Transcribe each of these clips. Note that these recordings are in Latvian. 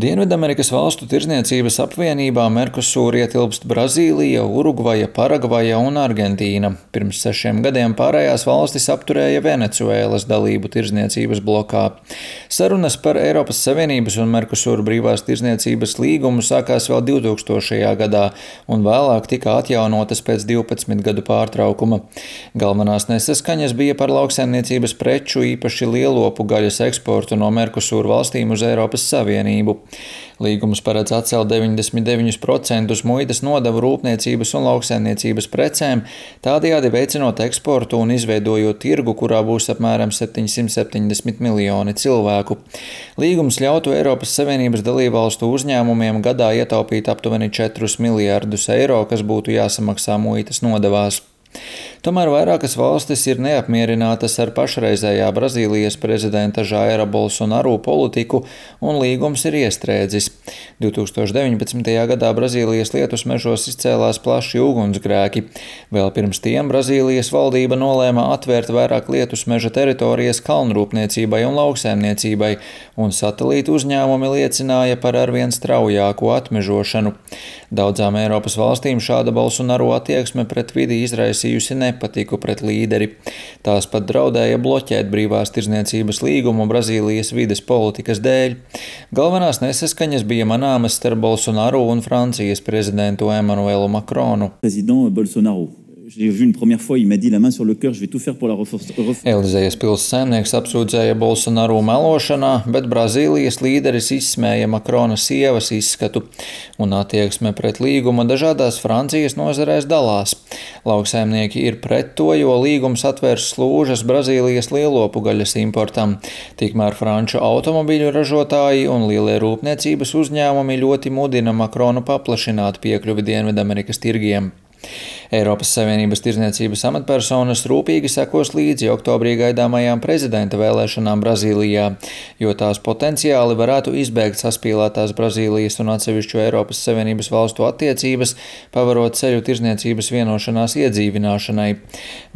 Dienvidamerikas valstu tirdzniecības apvienībā Mercosur ietilpst Brazīlija, Urugvaja, Paragvaja un Argentīna. Pirms 6 gadiem pārējās valstis apturēja Venecuēlas dalību tirdzniecības blokā. Sarunas par Eiropas Savienības un Mercosur brīvās tirdzniecības līgumu sākās vēl 2000. gadā un vēlāk tika atjaunotas pēc 12 gadu pārtraukuma. Galvenās nesaskaņas bija par lauksaimniecības preču, īpaši lielopu gaļas eksportu no Mercosur valstīm uz Eiropas Savienību. Līgums paredz atcelt 99% muitas nodevu rūpniecības un lauksaimniecības precēm, tādējādi veicinot eksportu un izveidojot tirgu, kurā būs apmēram 770 miljoni cilvēku. Līgums ļautu Eiropas Savienības dalībvalstu uzņēmumiem gadā ietaupīt aptuveni 4 miljārdus eiro, kas būtu jāsamaksā muitas nodevās. Tomēr vairākas valstis ir neapmierinātas ar pašreizējā Brazīlijas prezidenta Jaira Bolsonaru politiku, un līgums ir iestrēdzis. 2019. gadā Brazīlijas lietus mežos izcēlās plaši ugunsgrēki. Vēl pirms tiem Brazīlijas valdība nolēma atvērt vairāk lietus meža teritorijas kalnrūpniecībai un lauksaimniecībai, un satelītu uzņēmumi liecināja par arvien straujāko atmežošanu. Daudzām Eiropas valstīm šāda Bolsonaru attieksme pret vidi izraisījusi nepatiku pret līderi. Tās pat draudēja bloķēt brīvās tirdzniecības līgumu Brazīlijas vides politikas dēļ. Galvenās nesaskaņas bija manāmas starp Bolsonaru un Francijas prezidentu Emmanuelu Macronu. Elizejas pils saimnieks apsūdzēja Bolsonaru melošanā, bet Brazīlijas līderis izsmēja Macrona sievas izskatu, un attieksme pret līgumu dažādās Francijas nozarēs dalās. Lauksaimnieki ir pret to, jo līgums atvērs slūžas Brazīlijas lielopu gaļas importam. Tikmēr franču automobiļu ražotāji un lielie rūpniecības uzņēmumi ļoti mudina Macronu paplašināt piekļuvi Dienvidamerikas tirgiem. Eiropas Savienības tirdzniecības amatpersonas rūpīgi sekos līdzi oktobrī gaidāmajām prezidenta vēlēšanām Brazīlijā, jo tās potenciāli varētu izbēgt saspīlētās Brazīlijas un atsevišķu Eiropas Savienības valstu attiecības, pavarot ceļu tirdzniecības vienošanās iedzīvināšanai.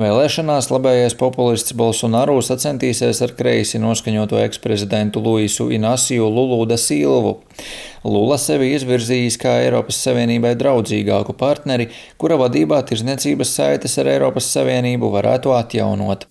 Vēlēšanās labējais populists Bolsonaru sacentīsies ar kreisi noskaņoto eksprezidentu Luisu Inasiju Lulu da Silvu. Lula sevi izvirzījis kā Eiropas Savienībai draudzīgāku partneri, kura vadībā tirdzniecības saites ar Eiropas Savienību varētu atjaunot.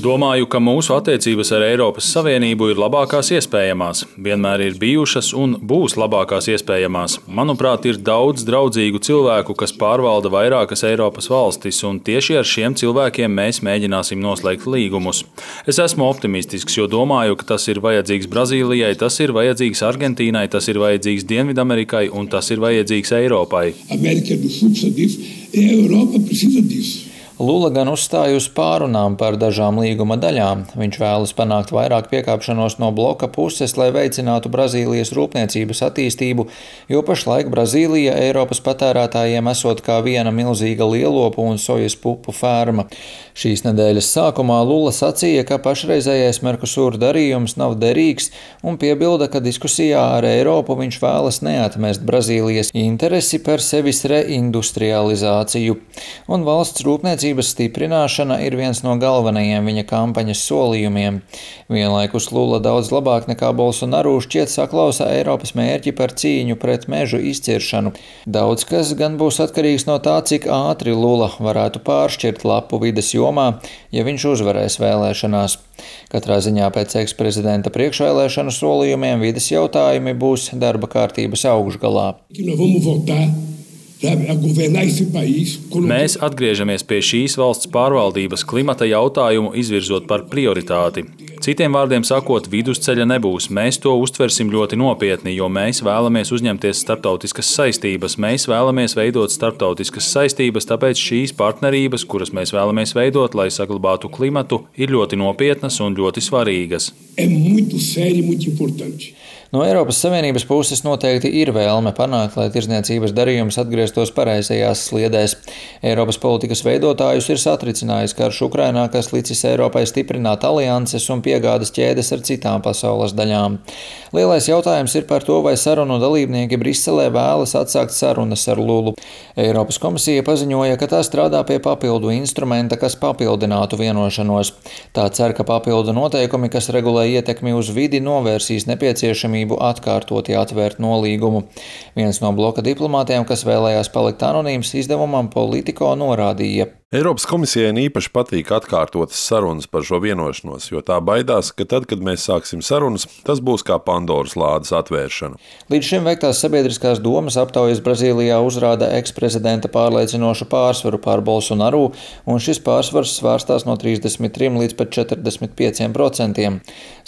Domāju, ka mūsu attiecības ar Eiropas Savienību ir labākās iespējamās, vienmēr ir bijušas un būs labākās iespējamās. Manuprāt, ir daudz draudzīgu cilvēku, kas pārvalda vairākas Eiropas valstis, un tieši ar šiem cilvēkiem mēs mēģināsim noslēgt līgumus. Es esmu optimistisks, jo domāju, ka tas ir vajadzīgs Brazīlijai, tas ir vajadzīgs Argentīnai, tas ir vajadzīgs Dienvidamerikai un tas ir vajadzīgs Eiropai. Lula gan uzstāja uz pārunām par dažām līguma daļām. Viņš vēlas panākt vairāk piekāpšanos no bloka puses, lai veicinātu Brazīlijas rūpniecības attīstību, jo pašlaik Brazīlija Eiropas patērētājiem esot kā viena milzīga lielopu un sojas pupu ferma. Šīs nedēļas sākumā Lula sacīja, ka pašreizējais Mercosur darījums nav derīgs un piebilda, ka diskusijā ar Eiropu viņš vēlas neatmest Brazīlijas interesi par sevis reindustrializāciju. Un valsts rūpniecības stiprināšana ir viens no galvenajiem viņa kampaņas solījumiem. Vienlaikus Lula daudz labāk nekā Bolsonaru šķiet saklausa Eiropas mērķi par cīņu pret mežu izciršanu. Daudz kas gan būs atkarīgs no tā, cik ātri Lula varētu pāršķirt lapu vides jomā, ja viņš uzvarēs vēlēšanās. Katrā ziņā pēc eksprezidenta priekšvēlēšanu solījumiem vides jautājumi būs darba kārtības augšgalā. Mēs atgriežamies pie šīs valsts pārvaldības klimata jautājumu izvirzot par prioritāti. Citiem vārdiem sakot, vidusceļa nebūs. Mēs to uztversim ļoti nopietni, jo mēs vēlamies uzņemties starptautiskas saistības. Mēs vēlamies veidot starptautiskas saistības, tāpēc šīs partnerības, kuras mēs vēlamies veidot, lai saglabātu klimatu, ir ļoti nopietnas un ļoti svarīgas. No Eiropas Savienības puses noteikti ir vēlme panākt, lai tirdzniecības darījums atgrieztos pareizajās sliedēs. Eiropas politikas veidotājus ir satricinājis karš Ukrainā, kas licis Eiropai stiprināt alianses un piegādes ķēdes ar citām pasaules daļām. Lielais jautājums ir par to, vai sarunu dalībnieki Briselē vēlas atsākt sarunas ar Lulu. Eiropas komisija paziņoja, ka tā strādā pie papildu instrumenta, kas papildinātu vienošanos. Tā cer, ka papildu noteikumi, kas regulē ietekmi uz vidi, novērsīs nepieciešamību atkārtoti atvērt nolīgumu. Viens no bloka diplomātiem, kas vēlējās palikt anonīms, izdevumam Politico norādīja: Eiropas komisijai īpaši patīk atkārtotas sarunas par šo vienošanos, jo tā baidās, ka tad, kad mēs sāksim sarunas, tas būs kā Pandoras lādes atvēršana. Līdz šim veiktās sabiedriskās domas aptaujas Brazīlijā uzrāda eksprezidenta pārliecinošu pārsvaru pār Bolsonaru, un šis pārsvars svārstās no 33 līdz pat 45%.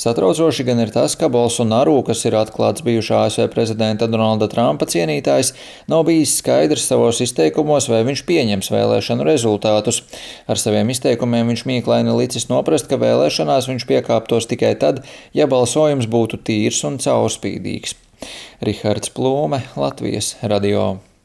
Satraucoši gan ir tas, ka Bolsonaru, kas ir atklāts bijušā ASV prezidenta Donalda Trumpa cienītājs, nav bijis skaidrs savos izteikumos, vai viņš pieņems vēlēšanu rezultātus. Ar saviem izteikumiem viņš mīklaini licis noprast, ka vēlēšanās viņš piekāptos tikai tad, ja balsojums būtu tīrs un caurspīdīgs. Rihards Plūme, Latvijas radio.